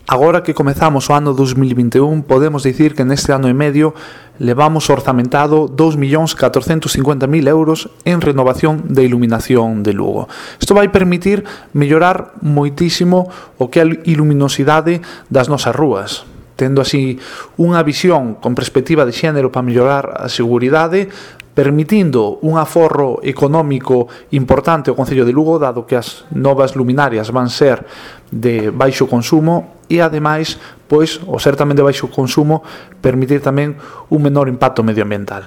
Agora que comezamos o ano 2021, podemos dicir que neste ano e medio levamos orzamentado 2.450.000 euros en renovación de iluminación de Lugo. Isto vai permitir mellorar moitísimo o que é a iluminosidade das nosas rúas, tendo así unha visión con perspectiva de xénero para mellorar a seguridade, permitindo un aforro económico importante ao Concello de Lugo, dado que as novas luminarias van ser de baixo consumo e, ademais, pois, o ser tamén de baixo consumo, permitir tamén un menor impacto medioambiental.